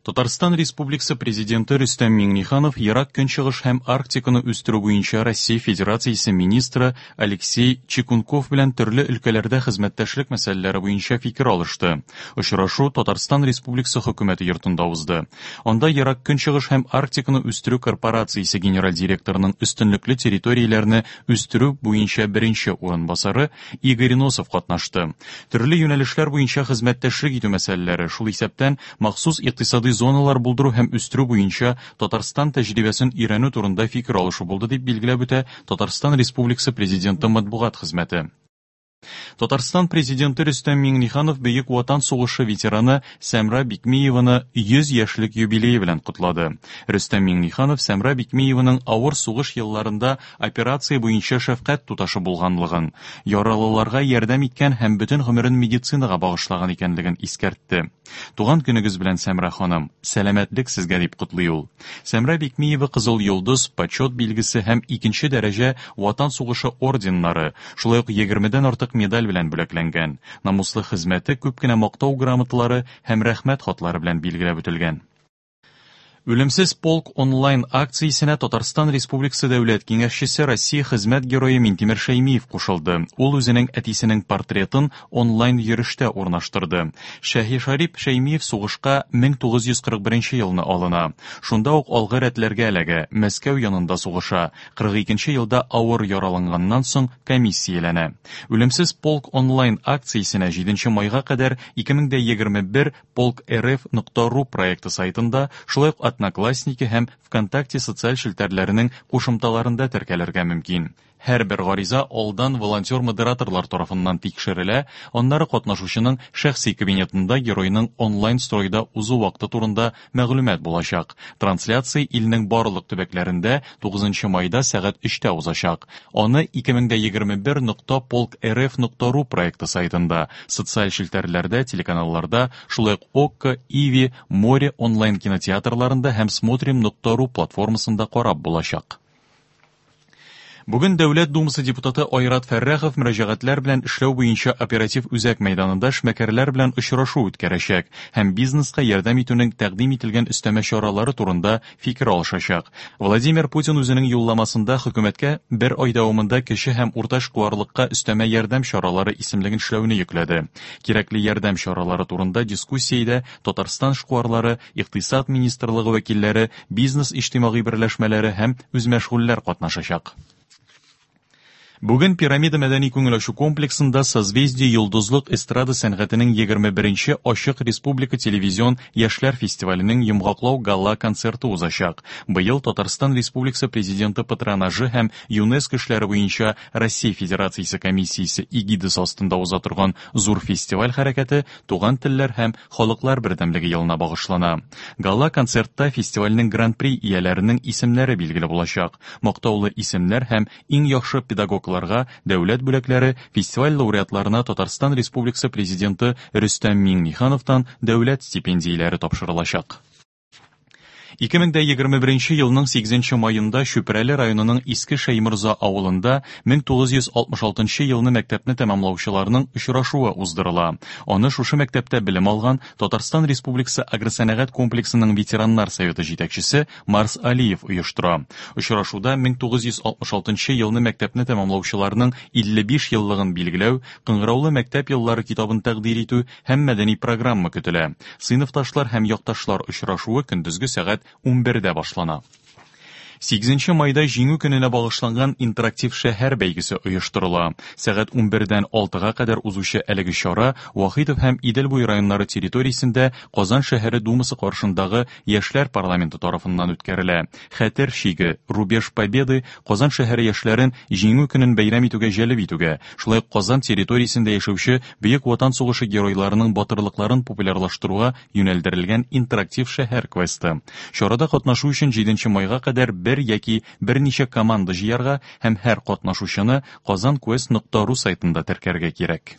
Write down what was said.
Татарстан Республикасы Президенты Рөстәм Миңнеханов Ерак Көнчыгыш һәм Арктиканы үстерү буенча Россия Федерациясе министры Алексей Чекунков белән төрле өлкәләрдә хезмәттәшлек мәсьәләләре буенча фикер алышты. Очрашу Татарстан Республикасы Хөкүмәте йортында узды. Анда Ерак Көнчыгыш һәм Арктиканы үстерү корпорациясе генераль директорының өстенлекле территорияләрне үстерү буенча беренче урынбасары Игорь Носов катнашты. Төрле юнәлешләр буенча хезмәттәшлек итү мәсьәләләре, шул исәптән махсус икътисадый зоналар булдыру һәм үстерү буенча Татарстан тәҗрибәсен өйрәнү турында фикер алышу булды, дип билгеләп үтә Татарстан Республикасы Президенты матбугат хезмәте. Татарстан Президенты Рөстәм Миңнеханов Бөек Ватан сугышы ветераны Сәмра Бикмиеваны 100 яшьлек юбилее белән котлады. Рөстәм Миңнеханов Сәмра Бикмиеваның авыр сугыш елларында операция буенча шәфкать туташы булганлыгын, яралыларга ярдәм иткән һәм бөтен гомерен медицинага багышлаган икәнлеген искәртте. Туган көнегез белән, Сәмра ханым, сәламәтлек сезгә, дип котлый ул. Сәмра Бикмиева Кызыл Йолдыз, Почет билгесе һәм икенче дәрәҗә Ватан сугышы орденнары, шулай ук егермедән артык медаль белән бүләкләнгән. Намуслы хезмәте күп кенә мактау грамоталары һәм рәхмәт хатлары белән билгеләп үтелгән. Үлемсез полк онлайн акциясенә Татарстан Республикасы Дәүләт Киңәшчесе, Россия Хезмәт Герое Минтимер Шәймиев кушылды. Ул үзенең әтисенең портретын онлайн йөрештә урнаштырды. Шәһишарип Шәймиев сугышка 1941 елны алына. Шунда ук алгы рәтләргә эләгә, Мәскәү янында сугыша. 42 елда авыр яраланганнан соң комиссияләнә. Үлемсез полк онлайн акциясенә 7 майга кадәр 2021 Полк РФ нокта ру проекты сайтында, шулай ук Одноклассники һәм ВКонтакте социаль челтәрләренең кушымталарында теркәлергә мөмкин. Һәрбер гариза алдан волонтер-модераторлар тарафыннан тикшерелә, аннары катнашучының шәхси кабинетында геройның онлайн-стройда узу вакыты турында мәгълүмат булачак. Трансляция илнең барлык төбәкләрендә 9 майда сәгать 3тә узачак. Аны 2021 нокта полк рф нокта ру проекты сайтында, социаль челтәрләрдә, телеканалларда, шулай ук Окко, Иви, Море онлайн кинотеатрларында һәм Смотрим нокта ру платформасында карап булачак. Бүген Дәүләт Думасы депутаты Айрат Фәррәхов мөрәҗәгатьләр белән эшләү буенча оператив үзәк мәйданында эшмәкәрләр белән очрашу үткәрәчәк һәм бизнеска ярдәм итүнең тәкъдим ителгән өстәмә чаралары турында фикер алышачак. Владимир Путин үзенең юлламасында хөкүмәткә бер ай дәвамында кече һәм урта эшкуарлыкка өстәмә ярдәм чаралары исемлеген эшләүне йөкләде. Кирәкле ярдәм чаралары турында дискуссиядә Татарстан эшкуарлары, Икътисад министрлыгы вәкилләре, бизнес иҗтимагый берләшмәләре һәм үзмәшгульләр катнашачак. Бүген Пирамида мәдәни күңел ачу комплексында Созвездие йолдызлык эстрада сәнгатенең 21-нче ачык республика телевизион яшьләр фестиваленең йомгаклау гала-концерты узачак. Быел Татарстан Республикасы Президенты патронажы һәм ЮНЕСКО эшләре буенча Россия Федерациясе комиссиясе эгидасы астында уза торган зур фестиваль хәрәкәте Туган телләр һәм халыклар бердәмлеге елына багышлана. Гала-концертта фестивальнең гран-при ияләренең исемнәре билгеле булачак. Мактаулы исемнәр һәм иң яхшы педагогларга дәүләт бүләкләре, фестиваль лауреатларына Татарстан Республикасы Президенты Рөстәм Миңнехановтан дәүләт стипендияләре тапшырылачак. 2021 елның 8 маенда Чүпрәле районының Иске Шәйморза авылында 1966 елны мәктәпне тәмамлаучыларның очрашуы уздырыла. Аны шушы мәктәптә белем алган Татарстан Республикасы агросәнәгать комплексының ветераннар советы җитәкчесе Марс Алиев оештыра. Очрашуда 1966 елны мәктәпне тәмамлаучыларның 55 еллыгын билгеләү, Кыңгыраулы мәктәп еллары китабын тәкъдир итү һәм мәдәни программа көтелә. Сыйныфташлар һәм якташлар очрашуы көндезге сәгать 11дә башлана. 8 майда Җиңү көненә багышланган интерактив шәһәр бәйгесе оештырыла. Сәгать 11дән 6-га кадәр узучы әлеге чара Вахитов һәм Идел буе районнары территориясендә Казан шәһәре Думасы каршындагы Яшьләр парламенты тарафыннан үткәрелә. Хәтер чиге, Рубеж Победы Казан шәһәре яшьләрен Җиңү көнен бәйрәм итүгә җәлеп итүгә, шулай ук Казан территориясендә яшәүче Бөек Ватан сугышы геройларының батырлыкларын популярлаштыруга юнәлдерелгән интерактив шәһәр квесты. Чарада катнашу өчен 7 майга кадәр бер яки берничә команда җыярга һәм һәр катнашучыны kazanquest.ru сайтында теркәргә кирәк.